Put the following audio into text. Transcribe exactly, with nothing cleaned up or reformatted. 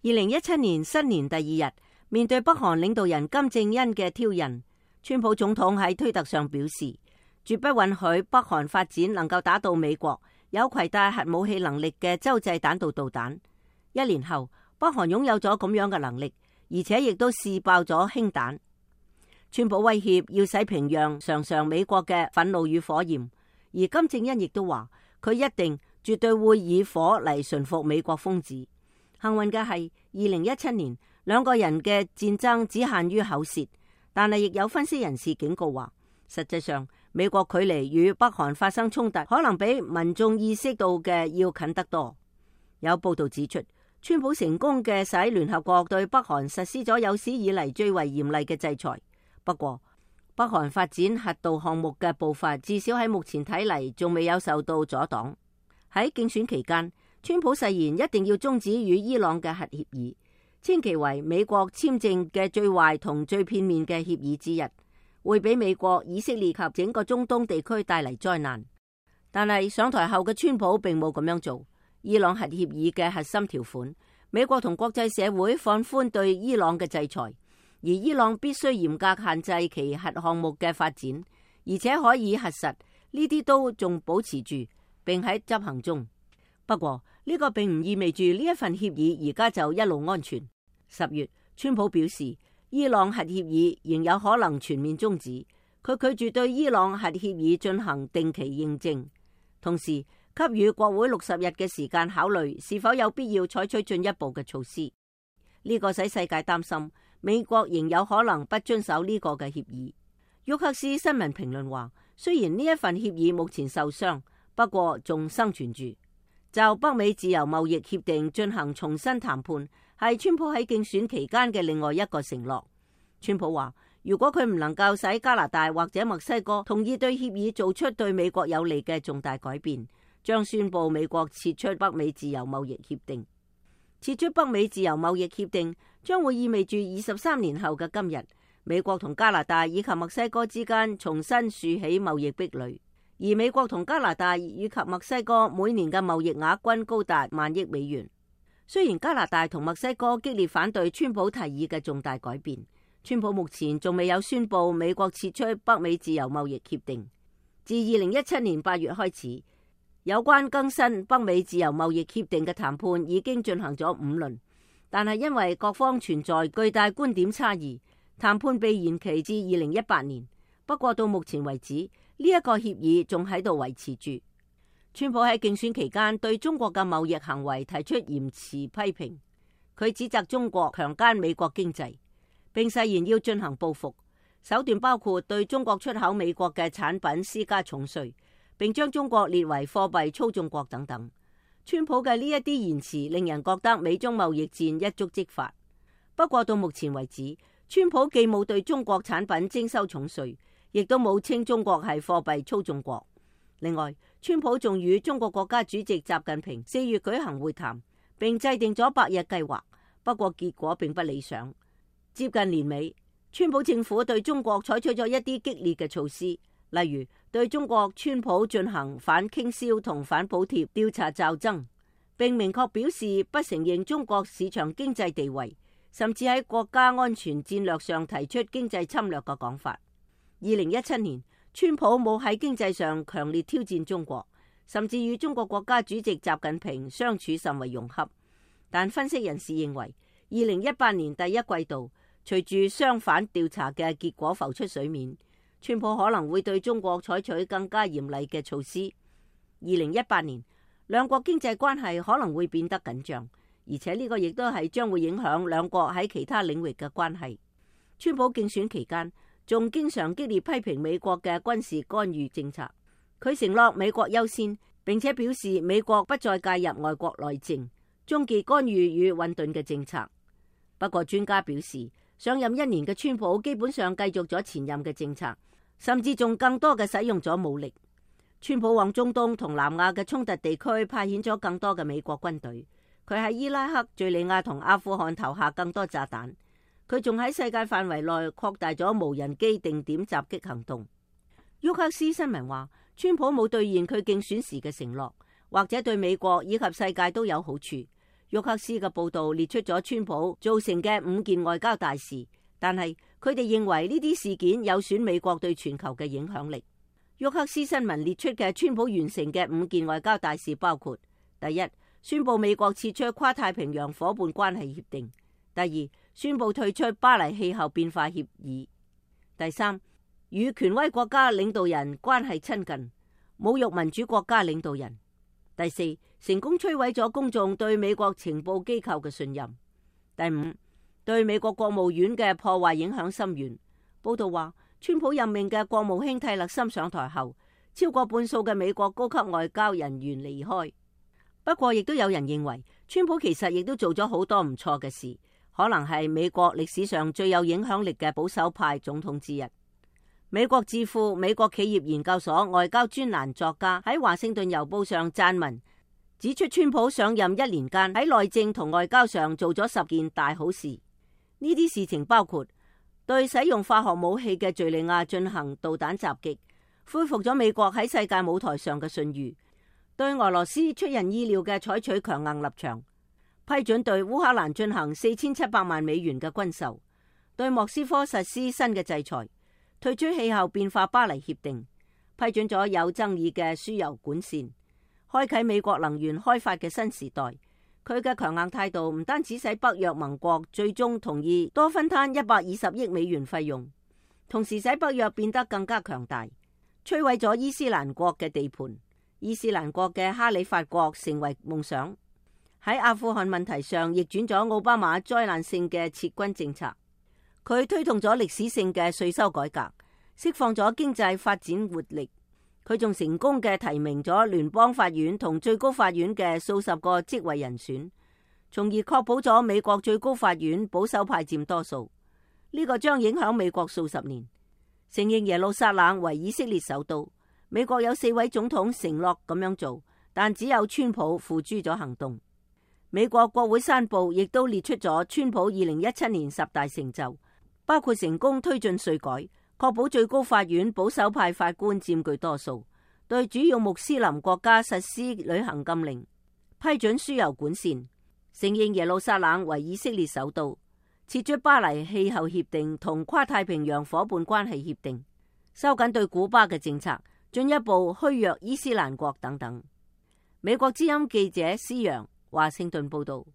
二零一七年新年第二日，面對北韓領導人金正恩嘅挑釁，川普總統喺推特上表示，絕不允許北韓發展能夠打到美國有攜帶核武器能力嘅洲際彈道導彈。一年後，北韓擁有咗咁樣嘅能力，而且亦都試爆咗氫彈。川普威脅要使平壤嘗嘗美國嘅憤怒與火焰，而金正恩亦都話佢一定絕對會以火嚟馴服美國瘋子。幸運嘅係，二零一七年兩個人嘅戰爭只限於口舌，但係亦有分析人士警告話，實際上美國距離與北韓發生衝突，可能比民眾意識到嘅要近得多。有報道指出，川普成功嘅使聯合國對北韓實施咗有史以嚟最為嚴厲嘅制裁。不過，北韓發展核導項目嘅步伐，至少喺目前睇嚟，仲未有受到阻擋。喺競選期間，川普誓言一定要終止與伊朗嘅核協議，稱其為美國簽訂嘅最壞同最片面嘅協議之一，會俾美國、以色列及整個中東地區帶嚟災難。但係上台後嘅川普並冇咁樣做。伊朗核協議嘅核心條款，美國同國際社會放寬對伊朗嘅制裁，而伊朗必須嚴格限制其核項目嘅發展，而且可以核實，呢啲都仲保持住，並喺執行中。不過呢個並唔意味住呢一份協議而家就一路安全。十月，川普表示伊朗核協議仍有可能全面終止，佢拒絕對伊朗核協議進行定期認證，同時給予國會六十日嘅時間考慮是否有必要採取進一步嘅措施。呢個使世界擔心美國仍有可能不遵守呢個嘅協議。沃克斯新聞評論話，雖然呢一份協議目前受傷，不過仲生存住。就北美自由貿易協定進行重新談判，係川普喺競選期間嘅另外一個承諾。川普話，如果佢唔能夠使加拿大或者墨西哥同意對協議做出對美國有利嘅重大改變，將宣布美國撤出北美自由貿易協定。撤出北美自由貿易協定將會意味住二十三年後嘅今日，美國同加拿大以及墨西哥之間重新豎起貿易壁壘。而美國同加拿大以及墨西哥每年嘅貿易額均高達萬億美元。雖然加拿大同墨西哥激烈反對川普提議嘅重大改變，川普目前仲未有宣布美國撤出北美自由貿易協定。自二零一七年八月開始，有關更新北美自由貿易協定嘅談判已經進行咗五輪，但係因為各方存在巨大觀點差異，談判被延期至二零一八年。不過到目前為止，呢一個協議仲喺度維持住。川普喺競選期間對中國嘅貿易行為提出嚴詞批評，佢指責中國強姦美國經濟，並誓言要進行報復，手段包括對中國出口美國嘅產品施加重稅，並將中國列為貨幣操縱國等等。川普嘅呢一啲言辭令人覺得美中貿易戰一觸即發。不過到目前為止，川普既冇對中國產品徵收重稅，亦都冇稱中國係貨幣操縱國。另外，川普仲與中國國家主席習近平四月舉行會談，並制定咗百日計劃。不過結果並不理想。接近年尾，川普政府對中國採取咗一啲激烈嘅措施，例如對中國川普進行反傾銷同反補貼調查驟增，並明確表示不承認中國市場經濟地位，甚至喺國家安全戰略上提出經濟侵略嘅講法。二零一七年，川普冇喺經濟上強烈挑戰中國，甚至與中國國家主席習近平相處甚為融洽。但分析人士認為，二零一八年第一季度，隨住相反調查嘅結果浮出水面，川普可能會對中國採取更加嚴厲嘅措施。二零一八年，兩國經濟關係可能會變得緊張，而且呢個亦都係將會影響兩國喺其他領域嘅關係。川普競選期間仲經常激烈批評美國嘅軍事干預政策，佢承諾美國優先，並且表示美國不再介入外國內政，終結干預與混沌嘅政策。不過專家表示，上任一年嘅川普基本上繼續咗前任嘅政策，甚至仲更多嘅使用咗武力。川普往中東同南亞嘅衝突地區派遣咗更多嘅美國軍隊，佢喺伊拉克、敘利亞同阿富汗投下更多炸彈。佢仲喺世界範圍內擴大咗無人機定點襲擊行動。沃克斯新聞話，川普冇兌現佢競選時嘅承諾，或者對美國以及世界都有好處。沃克斯嘅報道列出咗川普造成嘅五件外交大事，但係佢哋認為呢啲事件有損美國對全球嘅影響力。沃克斯新聞列出嘅川普完成嘅五件外交大事包括：第一，宣布美國撤出跨太平洋夥伴關係協定；第二，宣布退出巴黎氣候變化協議；第三，與權威國家領導人關係親近，侮辱民主國家領導人；第四，成功摧毀咗公眾對美國情報機構嘅信任；第五，對美國國務院嘅破壞影響深遠。報道話，川普任命嘅國務卿蒂勒森上台後，超過半數嘅美國高級外交人員離開。不過，亦都有人認為，川普其實亦都做咗好多唔錯嘅事，可能係美國歷史上最有影響力嘅保守派總統之一。美國智庫美國企業研究所外交專欄作家喺華盛頓郵報上撰文，指出川普上任一年間喺內政同外交上做咗十件大好事。呢啲事情包括對使用化學武器嘅敘利亞進行導彈襲擊，恢復咗美國喺世界舞台上嘅信譽；對俄羅斯出人意料嘅採取強硬立場，批准對烏克蘭進行四千七百萬美元嘅軍售；對莫斯科實施新嘅制裁；退出氣候變化巴黎協定；批准咗有爭議嘅輸油管線；開啟美國能源開發嘅新時代。佢嘅強硬態度唔單止使北約盟國最終同意多分攤一百二十億美元費用，同時使北約變得更加強大，摧毀咗伊斯蘭國嘅地盤，伊斯蘭國嘅哈里發國成為夢想。喺阿富汗問題上逆轉咗奧巴馬災難性嘅撤軍政策。佢推動咗歷史性嘅稅收改革，釋放咗經濟發展活力。佢仲成功嘅提名咗聯邦法院同最高法院嘅數十個職位人選，從而確保咗美國最高法院保守派佔多數。呢個將影響美國數十年。承認耶路撒冷為以色列首都，美國有四位總統承諾咁樣做，但只有川普付諸咗行動。美國國會山報亦都列出咗川普二零一七年十大成就，包括成功推進稅改，確保最高法院保守派法官佔據多數，對主要穆斯林國家實施旅行禁令，批准輸油管線，承認耶路撒冷為以色列首都，撤出巴黎氣候協定同跨太平洋夥伴關係協定，收緊對古巴嘅政策，進一步虛弱伊斯蘭國等等。美國之音記者施洋華盛頓報道。